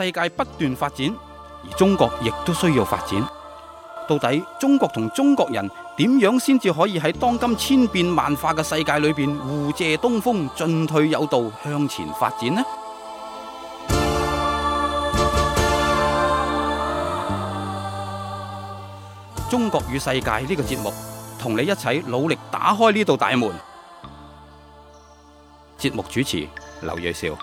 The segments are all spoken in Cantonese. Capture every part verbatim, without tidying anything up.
世界不斷發展，而中國亦都需要發展。到底中國同中國人點樣先至可以喺當今千變萬化嘅世界裏邊互借東風，進退有道，向前發展呢？中國與世界呢個節目，同你一齊努力打開呢道大門。節目主持劉銳紹，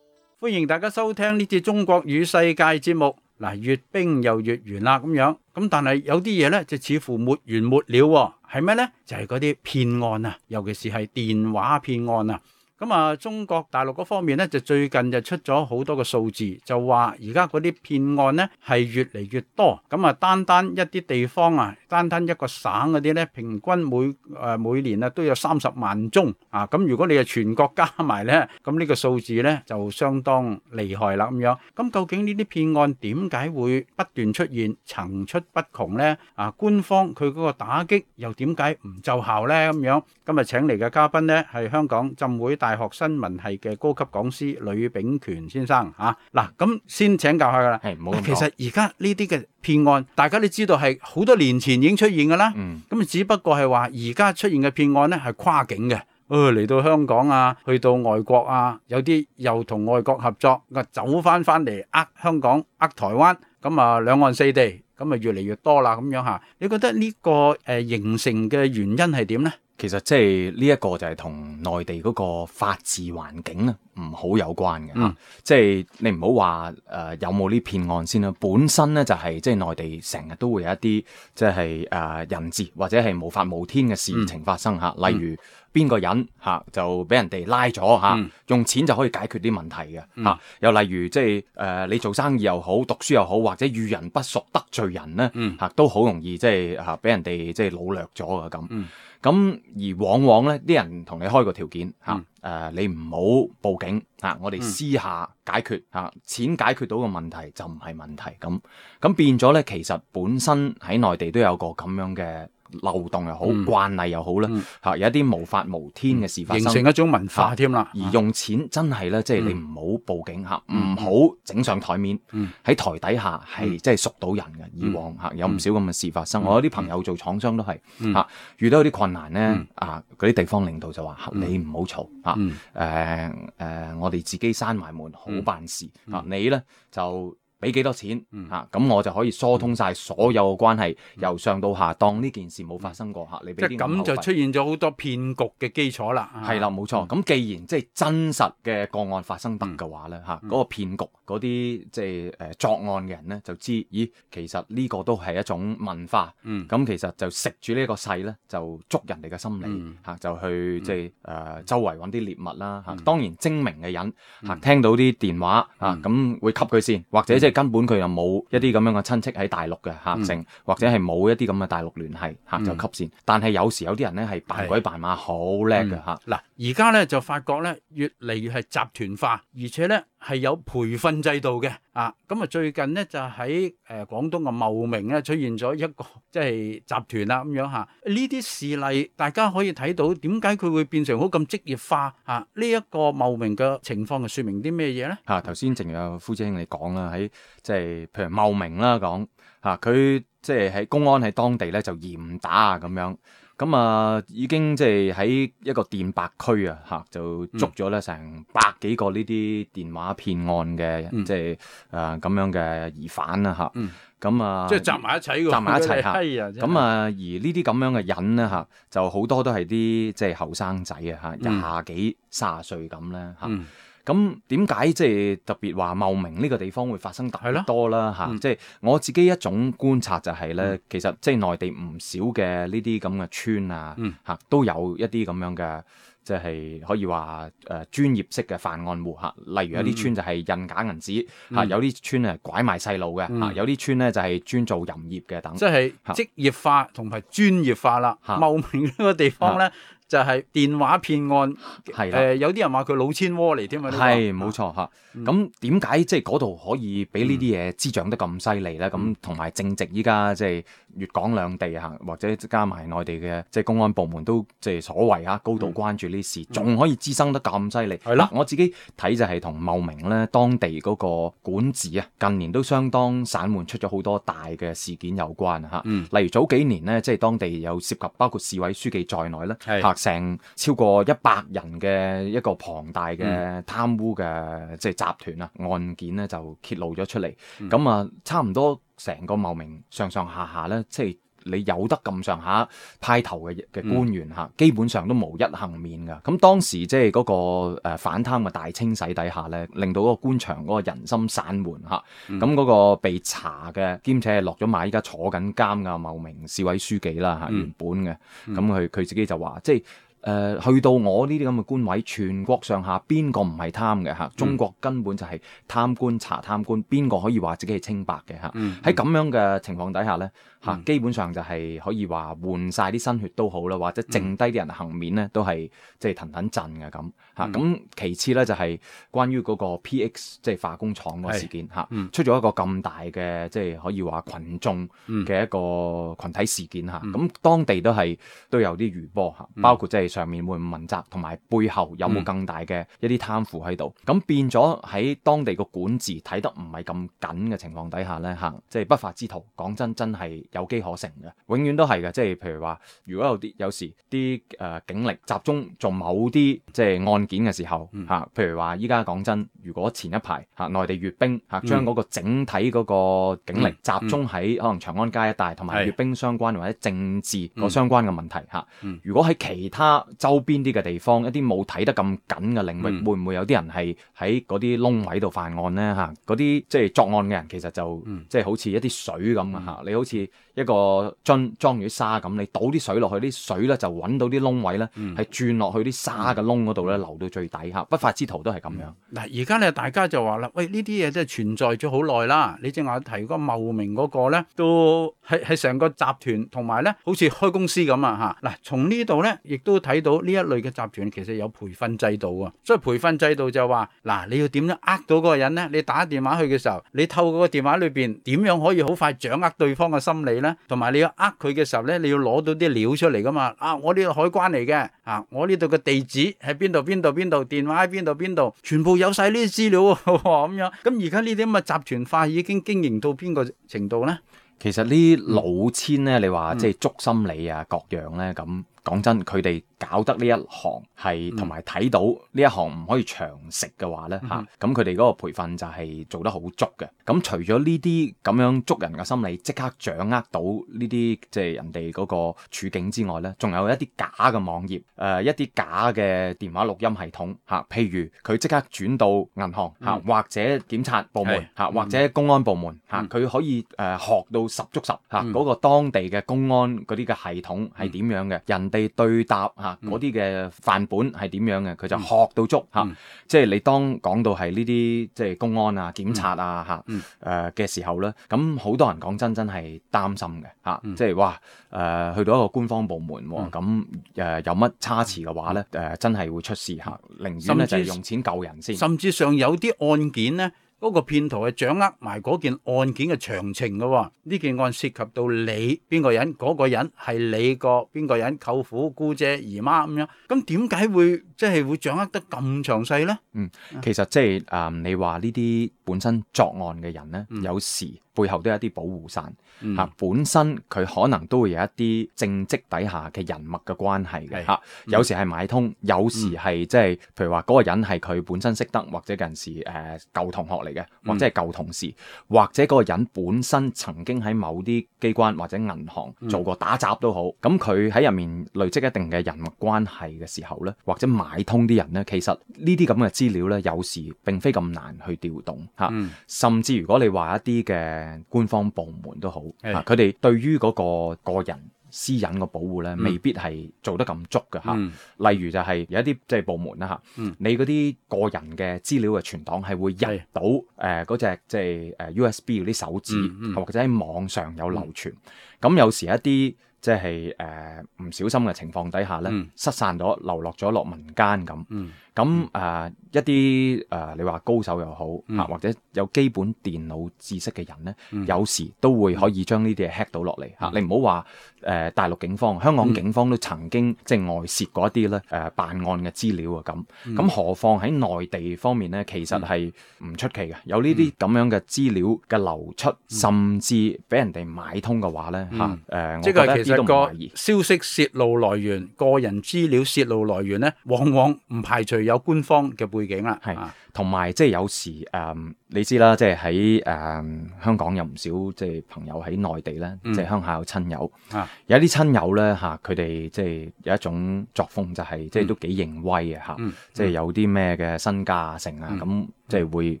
歡迎大家收聽呢節中國與世界節目。嗱，閱兵又閱完啦，咁樣咁，但係有啲嘢呢，就似乎沒完沒了，係咩呢？就係嗰啲騙案啊，尤其是係電話騙案啊。咁啊，中國大陸嗰方面咧，就最近就出咗好多個數字，就話而家嗰啲騙案咧係越嚟越多。咁啊，單單一啲地方啊，單單一個省嗰啲咧，平均每誒、呃、每年啊都有三十萬宗啊。咁如果你係全國加埋咧，咁呢個數字咧就相當厲害啦咁樣。咁究竟呢啲騙案點解會不斷出現，層出不窮咧？啊，官方佢嗰個打擊又點解唔奏效咧？咁樣今日請嚟嘅嘉賓咧係香港浸會大學新聞系嘅高級講師呂秉權先生嚇。嗱，咁先請教下噶啦。係，唔好咁講。其實而家呢啲嘅騙案，大家都知道係好多年前已經出現噶啦。嗯。咁只不過係話而家出現嘅騙案咧係跨境嘅，誒嚟到香港啊，去到外國啊，有啲又同外國合作，啊走翻翻嚟呃香港、呃台灣，咁啊兩岸四地，咁啊越嚟越多啦咁樣嚇。你覺得呢個誒形成嘅原因係點咧？其實即係呢一個就係同內地嗰個法治環境咧唔好有關嘅嚇，嗯、即係你唔好話誒有冇呢騙案先啦。本身咧就係、是、即係內地成日都會有一啲即係誒、呃、人質或者係無法無天嘅事情發生嚇，嗯、例如邊個人嚇、啊、就俾人哋拉咗嚇，嗯、用錢就可以解決啲問題嘅嚇、嗯啊。又例如即係誒、呃、你做生意又好，讀書又好，或者遇人不淑得罪人咧嚇、嗯啊，都好容易即係嚇俾人哋即係擄掠咗嘅咁。咁而往往咧，啲人同你開個條件嚇，誒、嗯呃、你唔好報警嚇、啊，我哋私下解決嚇、啊，錢解決到個問題就唔係問題咁。咁變咗咧，其實本身喺內地都有個咁樣嘅漏洞又好，嗯、慣例又好啦，嚇、嗯啊、有一啲無法無天嘅事發生，形成一種文化添啦。而用錢真係咧，即係你唔好報警嚇，唔好整上台面，喺、嗯、台底下係即係贖到人嘅。以往嚇有唔少咁嘅事發生，嗯、我有啲朋友做廠商都係嚇、嗯啊、遇到啲困難咧，嗯、啊嗰啲地方領導就話：嗯、你唔好嘈嚇，誒、呃、誒、呃，我哋自己閂埋門好辦事嚇、嗯啊，你咧就俾幾多錢嚇，咁、嗯啊、我就可以疏通晒所有嘅關係，嗯、由上到下，當呢件事冇發生過嚇。你俾啲即係咁就出現咗好多騙局嘅基礎啦。係啦，冇錯。咁、嗯、既然即係真實嘅個案發生得嘅話咧嚇，嗰、嗯、個騙局嗰啲即係誒作案嘅人咧就知，咦，其實呢個都係一種文化。咁、嗯、其實就食住呢個勢咧，就捉人哋嘅心理嚇，嗯、就去即係誒周圍揾啲獵物啦嚇。嗯、當然精明嘅人嚇，聽到啲電話嚇，咁、嗯、會吸佢先，或者即係根本佢又冇一啲咁樣嘅親戚喺大陸嘅嚇成，嗯、或者係冇一啲咁嘅大陸聯繫嚇就吸線。嗯、但係有時有啲人咧係扮鬼扮馬，好叻嘅嚇。嗱，而家咧就發覺咧越嚟越係集團化，而且咧係有培訓制度嘅啊。咁啊最近咧就喺誒廣東嘅茂名咧出現咗一個即係集團啦咁樣嚇。呢啲事例大家可以睇到點解佢會變成好咁職業化啊？呢一個茂名嘅情況係説明啲咩嘢咧？嚇頭先正如阿夫姐兄你講啦，喺即係譬如茂名啦講嚇，佢即係喺公安喺當地咧就嚴打啊咁樣。咁啊，已經即係喺一個電白區啊，嚇就捉咗咧成百幾個呢啲電話騙案嘅，嗯、即係誒咁樣嘅疑犯啦，嚇、嗯。咁啊，即係集埋一齊㗎，集埋一齊嚇。咁啊，而呢啲咁樣嘅人咧嚇，就好多都係啲即係後生仔啊嚇，廿幾卅歲咁咧嚇。嗯咁點解即係特別話茂名呢個地方會發生特別多啦嚇？即係我自己一種觀察就係咧，嗯、其實即係內地唔少嘅呢啲咁嘅村啊嚇，嗯、都有一啲咁樣嘅，即係可以話誒專業式嘅犯案戶嚇。例如有啲村就係印假銀紙嚇，嗯、有啲村係拐賣細路嘅嚇，嗯、有啲村咧就係專做淫業嘅等。即係職業化同埋專業化啦。茂名呢個地方咧。就係電話騙案，係啦、呃、有啲人話佢老千窩嚟添啊，係冇錯嚇。咁點解即係嗰度可以俾呢啲嘢滋長得咁犀利咧？咁同埋正值依家即係粵港兩地嚇，或者加埋內地嘅即係公安部門都即係所謂嚇高度關注呢事，仲、嗯、可以滋生得咁犀利。係啦，我自己睇就係同茂名咧當地嗰個管治啊，近年都相當散漫，出咗好多大嘅事件有關嚇。嗯、例如早幾年呢，即係當地有涉及包括市委書記在內咧，嚇成超過一百人嘅一個龐大嘅貪污嘅即係集團啊，案件咧就揭露咗出嚟。咁啊、嗯，差唔多成個茂名上上下下咧，即係你有得咁上下派頭嘅嘅官員嚇，嗯、基本上都無一幸免㗎。咁當時即係嗰個誒反貪嘅大清洗底下咧，令到嗰個官場嗰個人心散漫嚇。咁嗰、嗯、個被查嘅兼且係落咗馬，依家坐緊監嘅茂名市委書記啦嚇，嗯、原本嘅。咁佢佢自己就話即係。誒、呃、去到我呢啲咁嘅官位，全國上下邊個唔係貪嘅嚇？中國根本就係貪官查貪官，邊個可以話自己係清白嘅嚇？喺咁、嗯、樣嘅情況底下咧嚇，嗯、基本上就係可以話換晒啲新血都好啦，或者剩低啲人幸免咧，都係即係騰騰震嘅咁嚇。咁、嗯、其次咧就係關於嗰個 P X 即係化工廠嗰個事件嚇，嗯、出咗一個咁大嘅即係可以話群眾嘅一個群體事件嚇。咁、嗯、當地都係都有啲餘波嚇，包括即係。上面會唔問責，同埋背後有冇更大嘅一啲貪腐喺度？咁、嗯、變咗喺當地個管治睇得唔係咁緊嘅情況底下呢，嚇，即係不法之徒，講真真係有機可乘嘅，永遠都係嘅。即係譬如話，如果有啲有時啲誒、呃、警力集中做某啲即係案件嘅時候，嚇、嗯，譬如話依家講真，如果前一排嚇內地閱兵嚇將嗰個整體嗰個警力集中喺可能長安街一帶，同埋閱兵相關或者政治個相關嘅問題嚇，嗯、如果喺其他周邊啲嘅地方，一啲冇睇得咁緊嘅領域，嗯、會唔會有啲人係喺嗰啲窿位度犯案呢？嚇，嗰啲即係作案嘅人其實就、嗯、即係好似一啲水咁啊！嚇、嗯，你好似一個樽裝住啲沙咁，你倒啲水落去，啲水咧就揾到啲窿位咧，係、嗯、轉落去啲沙嘅窿嗰度咧，流到最底下。不法之徒都係咁樣。嗱，而家咧大家就話啦，喂，呢啲嘢真係存在咗好耐啦。你正話提嗰個茂名嗰個咧，都係係成個集團同埋咧，好似開公司咁啊！嚇，嗱，從呢度咧，亦都睇到呢一類嘅集團其實有培訓制度啊。所以培訓制度就話，嗱，你要點樣呃到嗰個人咧？你打電話去嘅時候，你透過個電話裏邊點樣可以好快掌握對方嘅心理咧？同埋你要呃佢嘅時候咧，你要攞到啲料出嚟噶嘛？啊，我呢度海關嚟嘅，啊，我呢度嘅地址喺邊度邊度邊度，電話喺邊度邊度，全部有晒呢啲資料咁樣。咁而家呢啲咁嘅集團化已經經營到邊個程度咧？其實呢老千咧，你話即係捉心理啊，各樣咧咁。講真，佢哋搞得呢一行係同埋睇到呢一行唔可以長食嘅話呢，嚇、嗯，咁佢哋嗰個培訓就係做得好足嘅。咁除咗呢啲咁樣捉人嘅心理，即刻掌握到呢啲即係人哋嗰個處境之外呢，仲有一啲假嘅網頁，誒、呃、一啲假嘅電話錄音系統嚇、啊，譬如佢即刻轉到銀行嚇、啊，或者檢察部門嚇，或者公安部門嚇，佢、啊、可以誒、呃、學到十足十嚇，嗰、啊嗯、個當地嘅公安嗰啲嘅系統係點樣嘅人。地對答嚇嗰啲嘅範本係點樣嘅，佢就學到足嚇。嗯、即係你當講到係呢啲即係公安啊、檢察啊嚇誒嘅時候咧，咁好多人講真真係擔心嘅嚇。嗯、即係哇誒、呃、去到一個官方部門喎，咁誒、嗯呃、有乜差池嘅話咧，誒、呃、真係會出事嚇。寧願咧就係用錢救人先。甚至上有啲案件咧。嗰個騙徒係掌握埋嗰件案件嘅詳情嘅喎，呢件案涉及到你邊個人，嗰、嗰個人係你個邊個人，舅父、姑姐、姨媽咁樣，咁點解會即係會掌握得咁詳細呢？嗯，其實即係誒，你話呢啲本身作案嘅人呢，嗯、有時背後都有一啲保護傘嚇，嗯、本身佢可能都會有一啲政績底下嘅人脈嘅關係嘅嚇，嗯、有時係買通，有時係即係譬如話嗰個人係佢本身識得，或者近時誒、呃、舊同學嚟嘅，或者係舊同事，嗯、或者嗰個人本身曾經喺某啲機關或者銀行做過打雜都好，咁佢喺入面累積一定嘅人脈關係嘅時候呢，或者買通啲人呢，其實呢啲咁嘅資料呢，有時並非咁難去調動嚇，嗯、甚至如果你話一啲嘅官方部門都好，佢哋、嗯、對於嗰個個人私隱嘅保護咧，未必係做得咁足嘅嚇。嗯、例如就係有一啲即係部門啦嚇，嗯、你嗰啲個人嘅資料嘅存檔係會入到誒嗰隻即係誒 U S B 嗰啲手指，嗯嗯、或者喺網上有流傳。咁、嗯、有時一啲即係誒唔小心嘅情況底下咧，嗯、失散咗，流落咗落民間咁。嗯咁誒、呃、一啲誒、呃、你話高手又好嚇，嗯、或者有基本電腦知識嘅人咧，嗯、有時都會可以將呢啲嘢 hack 到落嚟嚇。嗯、你唔好話誒大陸警方、香港警方都曾經即係外泄過一啲咧誒辦案嘅資料啊咁。咁、嗯、何況喺內地方面咧，其實係唔出奇嘅，有呢啲咁樣嘅資料嘅流出，嗯、甚至俾人哋買通嘅話咧嚇誒，我覺得呢啲都唔懷疑。消息泄露來源、個人資料泄露來源咧，往往唔排除有官方嘅背景啦，係同埋即係有時誒、嗯，你知啦，即係喺誒香港有唔少即係朋友喺內地咧，嗯、即係鄉下有親友，啊、有一啲親友咧嚇，佢哋即係有一種作風就係、是、即係都幾認威嘅嚇，嗯、即係有啲咩嘅身家啊成啊咁，嗯、即係會。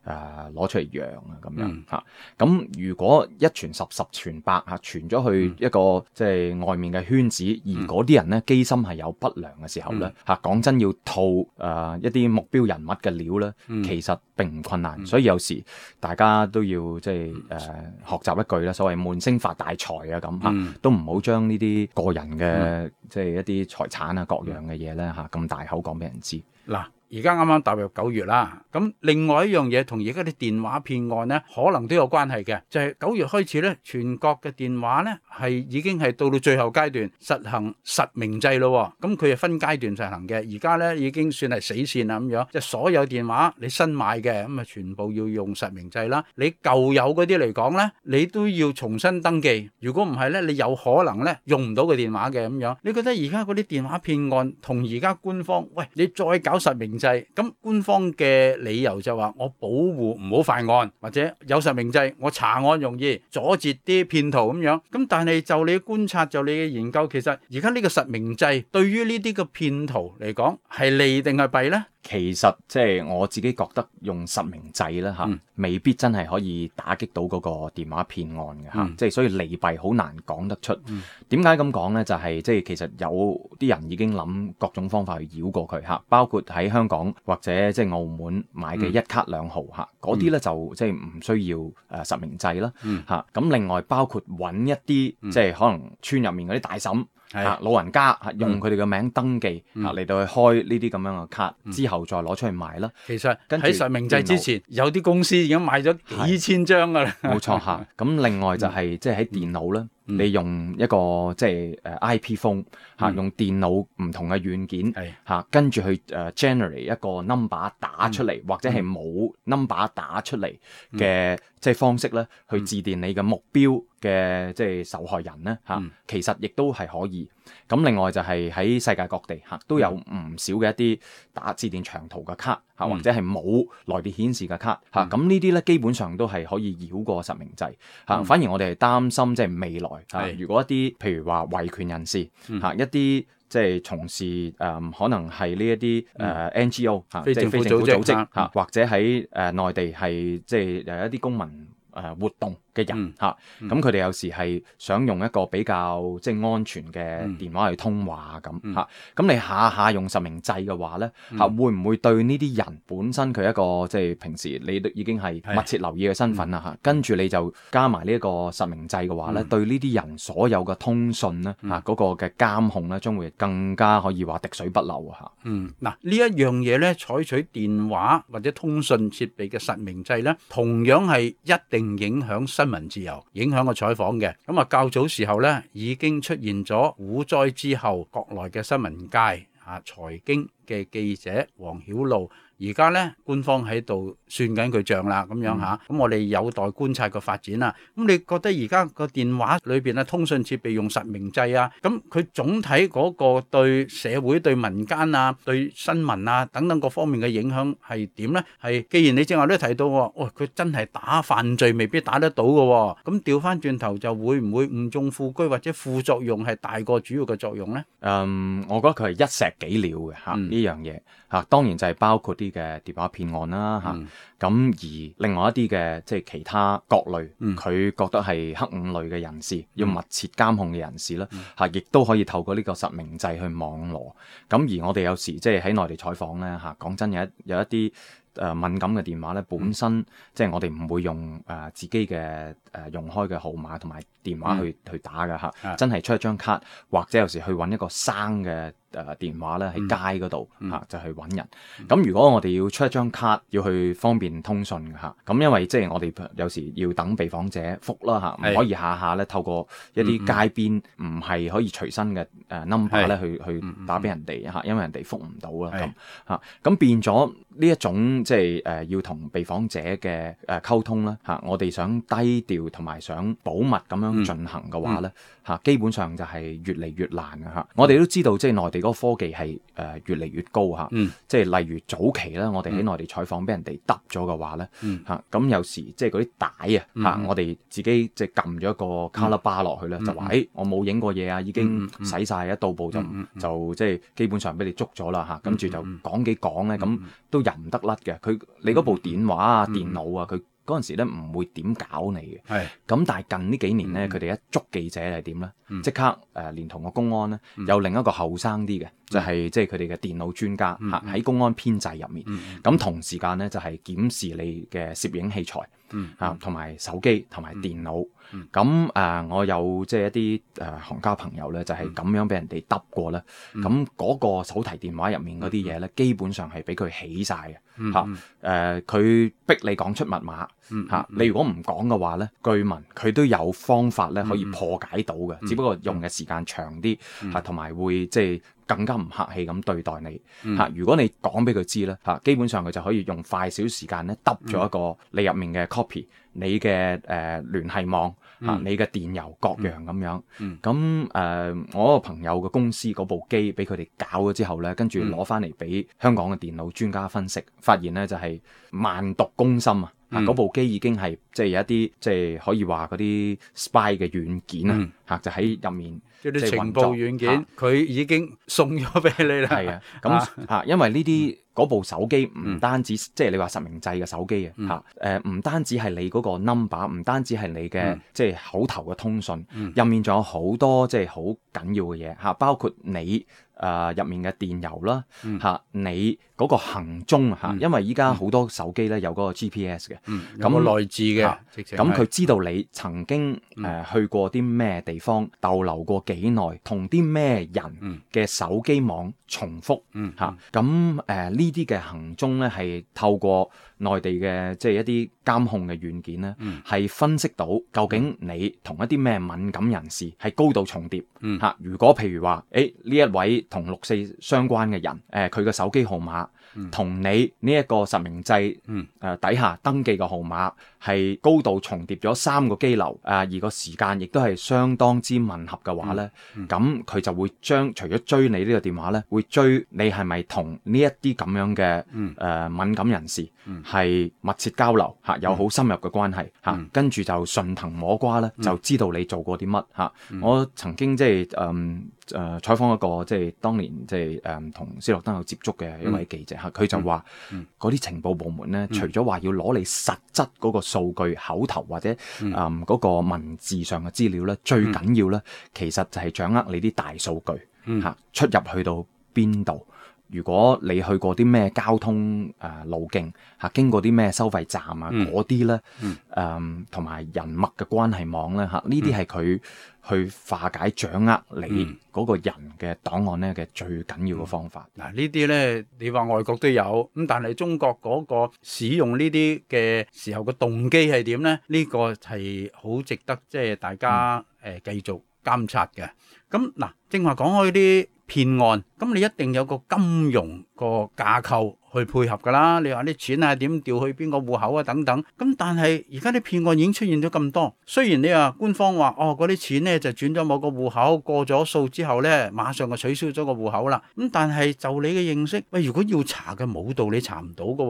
誒攞、呃、出嚟揚啊咁樣嚇，咁、嗯啊、如果一傳十十傳百嚇，傳咗去一個、嗯、即係外面嘅圈子，而嗰啲人咧機心係有不良嘅時候咧嚇，講、嗯啊、真要套誒、呃、一啲目標人物嘅料咧，嗯、其實並唔困難，嗯、所以有時大家都要即係誒、呃、學習一句啦，所謂悶聲發大財啊咁嚇，嗯、都唔好將呢啲個人嘅、嗯、即係一啲財產啊各樣嘅嘢咧嚇咁大口講俾人知嗱。而家啱啱踏入九月啦，咁另外一樣嘢同而家啲電話騙案咧，可能都有關係嘅，就係、是、九月開始咧，全國嘅電話咧係已經係到到最後階段實行實名制咯，咁佢係分階段實行嘅，而家咧已經算係死線啦咁樣，即係所有電話你新買嘅咁啊，全部要用實名制啦，你舊有嗰啲嚟講咧，你都要重新登記，如果唔係咧，你有可能咧用唔到個電話嘅咁樣。你覺得而家嗰啲電話騙案同而家官方，喂，你再搞實名制，咁官方嘅理由就話我保護唔好犯案，或者有實名制我查案容易，阻截啲騙徒咁樣。咁但係就你嘅觀察，就你嘅研究，其實而家呢個實名制對於呢啲嘅騙徒嚟講係利定係弊呢？其實即係我自己覺得用實名制咧嚇，嗯、未必真係可以打擊到嗰個電話騙案嘅嚇，嗯、即係所以利弊好難講得出。點解咁講咧？就係、是、即係其實有啲人已經諗各種方法去繞過佢嚇，包括喺香港或者即係澳門買嘅一卡兩號嚇，嗰啲咧就即係唔需要誒實名制啦嚇。咁、嗯、另外包括揾一啲、嗯、即係可能村入面嗰啲大嬸。嚇老人家嚇用佢哋嘅名登記嚇嚟、嗯、到去開呢啲咁樣嘅卡，嗯、之後再攞出去賣啦。其實喺實名制之前，有啲公司已經買咗幾千張㗎啦。冇錯嚇。咁另外就係、是、即係喺電腦咧。嗯你用一個即係誒 I P phone 嚇，用電腦唔同嘅軟件嚇，跟住去誒 generate 一個 number 打出嚟，或者係冇 number 打出嚟嘅即係方式咧，去致電你嘅目標嘅即係受害人咧嚇，其實亦都係可以。咁另外就係喺世界各地嚇都有唔少嘅一啲打致電長途嘅卡嚇，或者係冇來電顯示嘅卡嚇，咁呢啲咧基本上都係可以繞過實名制嚇。反而我哋係擔心即係未來。係，如果一啲譬如話維權人士嚇，嗯、一啲即係從事誒、呃、可能係呢一啲誒 N G O 嚇，即係非政府組織嚇，嗯、或者喺誒內地係即係有一啲公民誒活動嘅人嚇，咁佢哋有時係想用一個比較即係安全嘅電話去通話咁嚇，咁、嗯、你下下用實名制嘅話咧嚇，嗯、會唔會對呢啲人本身佢一個即係平時你都已經係密切留意嘅身份啦嚇，跟住、嗯、你就加埋呢一個實名制嘅話咧，嗯、對呢啲人所有嘅通訊咧嚇嗰個嘅監控咧，將會更加可以話滴水不漏嚇。嗯，嗱呢一樣嘢咧，採取電話或者通訊設備嘅實名制咧，同樣係一定影響新新聞自由，影響個採訪嘅。咁啊較早時候咧已經出現咗股災之後國內嘅新聞界啊財經嘅記者黃曉露，而家咧官方喺度算緊佢賬啦，咁樣吓，咁、嗯、我哋有待觀察個發展啦。咁你覺得而家個電話裏邊啊通訊設備用實名制啊，咁佢總體嗰個對社會、對民間啊、對新聞啊等等各方面嘅影響係點咧？係既然你正話都提到，哦佢真係打犯罪未必打得到嘅，咁調翻轉頭就會唔會誤中副車或者副作用係大過主要嘅作用咧？嗯，我覺得佢係一石幾鳥嘅吓呢樣嘢吓，當然就係包括啲嘅電話騙案啦嚇，咁、嗯、而另外一啲嘅即係其他各類，佢、嗯、覺得係黑五類嘅人士，嗯、要密切監控嘅人士咧嚇，亦都、嗯、可以透過呢個實名制去網羅。咁而我哋有時即係喺內地採訪咧嚇，講真有一有一啲誒敏感嘅電話咧，本身、嗯、即係我哋唔會用誒、呃、自己嘅誒、呃、用開嘅號碼同埋電話去、嗯、去打嘅嚇，嗯、真係出一張卡，或者有時去揾一個生嘅誒電話咧喺街嗰度嚇就去揾人。咁、嗯、如果我哋要出一張卡，要去方便通訊嘅嚇，咁因為即係我哋有時要等被訪者覆啦嚇，唔是可以下下咧透過一啲街邊唔係可以隨身嘅誒 number 咧去去打俾人哋嚇，因為人哋覆唔到啦咁嚇，咁變咗呢一種即係誒要同被訪者嘅誒溝通啦嚇，我哋想低調同埋想保密咁樣進行嘅話咧嚇，嗯、基本上就係越嚟越難嘅嚇。我哋都知道即係內地嗰個科技係誒越嚟越高嚇，嗯、即係例如早期咧，我哋喺內地採訪俾人哋揼咗嘅話咧嚇，咁、嗯、有時即係嗰啲帶啊嚇，嗯、我哋自己即係撳咗一個 color bar 落去咧，嗯、就話誒、欸、我冇影過嘢啊，已經洗晒，一到步就、嗯、就即係基本上俾你捉咗啦嚇，跟住就講幾講咧，咁、嗯、都入唔得甩嘅。佢你嗰部電話啊、嗯、電腦啊，佢嗰陣時咧唔會點搞你嘅。係咁是，但係近呢幾年咧，佢哋、嗯、一捉記者係點咧？即、嗯、刻誒、呃、連同個公安咧，嗯、有另一個後生啲嘅，就係即係佢哋嘅電腦專家嚇喺、嗯、公安編制入面。咁、嗯、同時間咧就係、是、檢視你嘅攝影器材嚇，同埋、嗯、手機同埋電腦。咁誒、嗯呃，我有即係一啲誒、呃、行家朋友咧，就係咁樣俾人哋揼過咧。咁嗰、嗯、個手提電話入面嗰啲嘢咧，基本上係俾佢起晒嘅嚇。誒、嗯，佢、呃、逼你講出密碼嚇。嗯嗯、你如果唔講嘅話咧，據聞佢都有方法咧可以破解到嘅，嗯、只不過用嘅時間長啲嚇，同埋、嗯、會即係更加唔客氣咁對待你嚇。嗯、如果你講俾佢知咧嚇，基本上佢就可以用快少時間咧揼咗一個你入面嘅 copy。你嘅誒、呃、聯繫網嚇，嗯、你嘅電郵各樣咁樣，咁誒、嗯呃、我個朋友嘅公司嗰部機俾佢哋搞咗之後咧，跟住攞翻嚟俾香港嘅電腦專家分析，發現咧就係、是、萬毒攻心啊！嗰、嗯、部機已經係即係有一啲即係可以話嗰啲 spy 嘅軟件啊嚇，嗯、就喺入面即係啲情報軟件，佢、啊、已經送咗俾你啦。係啊，咁嚇，因為呢啲。嗰部手機唔單止、嗯、即係你話實名制嘅手機、嗯、啊嚇，誒唔單止係你嗰個 number， 唔單止係你嘅、嗯、即係口頭嘅通訊，入、嗯、面仲有好多即係好緊要嘅嘢嚇，包括你誒入、呃、面嘅電郵啦嚇、嗯啊，你嗰個行蹤嚇，嗯、因為依家好多手機咧有嗰個 G P S 嘅，咁個內置嘅，咁佢知道你曾經誒、嗯呃、去過啲咩地方，逗留過幾耐，同啲咩人嘅手機網重複嚇，咁誒呢啲嘅行蹤咧係透過內地嘅即係一啲監控嘅軟件咧，係、嗯、分析到究竟你同一啲咩敏感人士係高度重疊嚇、嗯啊。如果譬如話，誒呢一位同六四相關嘅人，誒佢嘅手機號碼同、嗯、你呢一個實名制誒、嗯呃、底下登記嘅號碼係高度重疊咗三個機樓，誒、呃、而個時間亦都係相當之吻合嘅話咧，咁佢、嗯嗯、就會將除咗追你呢個電話咧，會追你係咪同呢一啲咁樣嘅誒、嗯呃、敏感人士係密切交流嚇，有好深入嘅關係嚇，嗯、跟住就順藤摸瓜咧，就知道你做過啲乜嚇。嗯、我曾經即係誒誒採訪一個即係當年即係誒同斯諾登有接觸嘅一位記者嚇，佢、嗯、就話嗰啲情報部門咧，嗯、除咗話要攞你實質嗰個數據、口頭或者誒嗰、嗯嗯嗰個文字上嘅資料咧，最緊要咧，其實就係掌握你啲大數據嚇、嗯啊，出入去到邊度。如果你去過啲咩交通誒、呃、路徑嚇，經過啲咩收費站啊嗰啲咧，誒同埋人脈嘅關係網咧嚇，呢啲係佢去化解掌握你嗰個人嘅檔案咧嘅最緊要嘅方法。嗱、嗯嗯、呢啲咧，你話外國都有咁，但係中國嗰個使用呢啲嘅時候嘅動機係點咧？呢、呢個係好值得即係大家誒、嗯呃、繼續監察嘅。咁嗱，正話講開啲騙案，咁你一定有個金融個架構去配合噶啦。你話啲錢啊點調去邊個戶口啊等等，咁但係而家啲騙案已經出現咗咁多。雖然你話官方話哦嗰啲錢呢就轉咗某個戶口，過咗數之後呢馬上就取消咗個戶口啦。咁但係就你嘅認識，喂，如果要查嘅冇道理查唔到噶。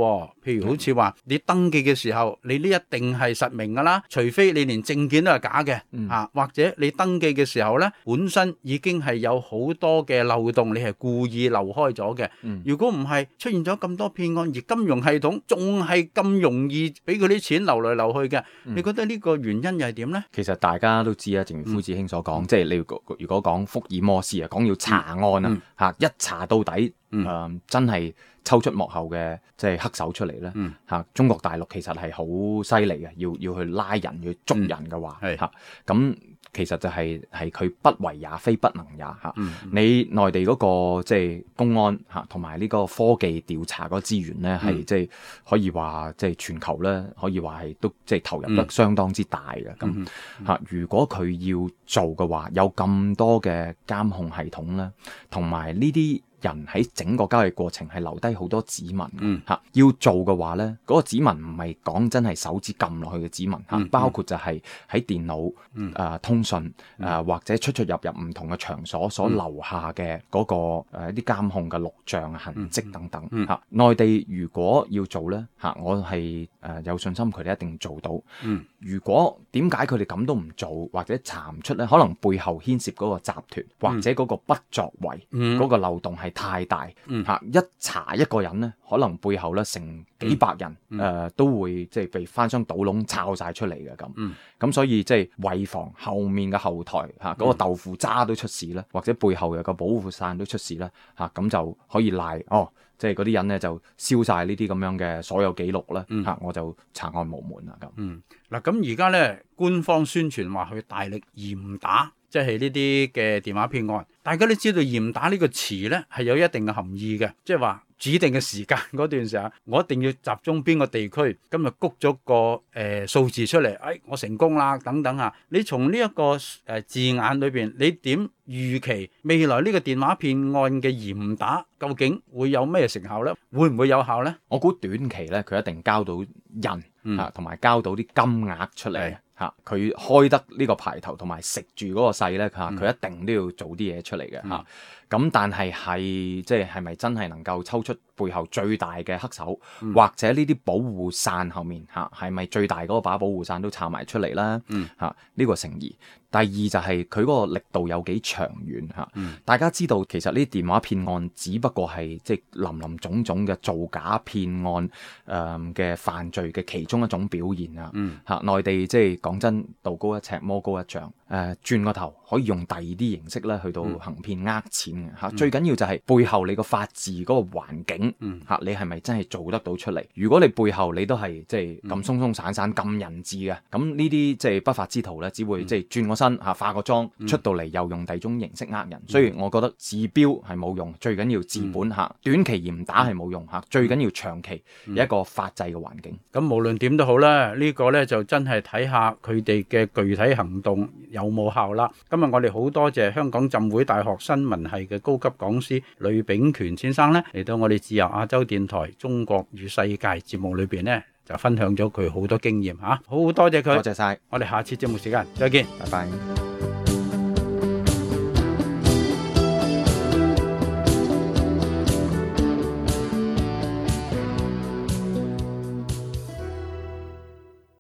譬如好似話你登記嘅時候，你呢一定係實名噶啦，除非你連證件都係假嘅、嗯、啊，或者你登記嘅時候呢本身已經係有好多嘅漏洞，你係故意漏開咗嘅。嗯、如果唔係出現咗咁咁多騙案，而金融系統仲係咁容易俾佢啲錢流嚟流去嘅，嗯、你覺得呢個原因又係點呢？其實大家都知啊，正如夫子兄所講，嗯、即係你如果講福爾摩斯啊，講要查案啊，嚇、嗯、一查到底，誒、嗯呃、真係抽出幕後嘅即係黑手出嚟咧，嚇、嗯啊、中國大陸其實係好犀利嘅，要要去拉人要捉人嘅話，嚇咁、嗯。啊其實就係係佢不為也，非不能也嚇。嗯嗯、你內地嗰、那個即係、就是、公安嚇，同埋呢個科技調查嗰個資源咧，係即係可以話即係全球咧，可以話係都即係投入得相當之大嘅咁嚇。如果佢要做嘅話，有咁多嘅監控系統咧，同埋呢啲人喺整個交易過程係留低好多指紋嚇、嗯啊。要做嘅話咧，嗰、那個指紋唔係講真係手指撳落去嘅指紋嚇，嗯、包括就係喺電腦誒、嗯呃、通訊誒、呃、或者出出入入唔同嘅場所所留下嘅嗰、那個誒一啲監控嘅錄像痕跡等等嚇。嗯嗯、內地如果要做咧嚇、啊，我係誒、呃、有信心佢哋一定做到。嗯、如果點解佢哋咁都唔做或者查唔出咧？可能背後牽涉嗰個集團或者嗰個不作為嗰、嗯、個漏洞係太大嚇、嗯啊，一查一個人咧，可能背後咧成幾百人誒、嗯呃、都會即係被翻箱倒籠抄晒出嚟嘅咁。咁、嗯、所以即係為防後面嘅後台嚇嗰、啊那個豆腐渣都出事咧，或者背後有個保護傘都出事咧嚇，咁、啊、就可以賴哦，即係嗰啲人咧就燒晒呢啲咁樣嘅所有記錄咧嚇、嗯啊，我就查案無門啦咁。嗱咁而家咧官方宣傳話佢大力嚴打。即係呢啲嘅電話騙案，大家都知道嚴打呢個詞呢係有一定嘅含義嘅，即係話指定嘅時間嗰段時間，我一定要集中邊個地區，今日谷咗個誒、呃、數字出嚟，哎，我成功啦等等啊！你從呢一個誒、呃、字眼裏邊，你點預期未來呢個電話騙案嘅嚴打究竟會有咩成效呢？會唔會有效呢？我估短期呢，佢一定交到人啊，同埋、嗯、交到啲金額出嚟。嚇佢、啊、開得呢個牌頭同埋食住嗰個勢咧嚇，佢、啊、一定都要做啲嘢出嚟嘅嚇。咁、啊嗯、但係係即係係咪真係能夠抽出背後最大嘅黑手，嗯、或者呢啲保護傘後面嚇係咪最大嗰把保護傘都插埋出嚟啦？嚇呢、嗯啊呢個成疑。第二就係佢嗰個力度有幾長遠嚇。啊嗯、大家知道其實呢啲電話騙案只不過係即係林林總總嘅造假騙案誒嘅、呃、犯罪嘅其中一種表現啊。嚇、嗯啊、內地即係講真，道高一尺魔高一丈。誒、呃、轉個頭可以用第二啲形式咧去到行騙呃錢嘅嚇。嗯、最緊要就係背後你個法治嗰個環境嚇、嗯啊，你係咪真係做得到出嚟？如果你背後你都係即係咁鬆鬆散散咁人治嘅，咁呢啲即係不法之徒咧，只會即係轉個身嚇化個妝、嗯、出到嚟又用第二種形式呃人。嗯、所以我覺得治標係冇用，最緊要治本嚇。嗯、短期嚴打係冇用嚇，最緊要長期有一個法制嘅環境。咁、嗯嗯、無論點都好啦，呢、呢個咧就真係睇下佢哋嘅具體行動有冇效啦？今日我哋好多謝香港浸會大學新聞系嘅高級講師呂秉權先生咧，嚟到我哋自由亞洲電台中國與世界節目裏邊咧，就分享咗佢好多經驗吓，好多謝佢，多謝晒。我哋下次節目時間再見，拜拜。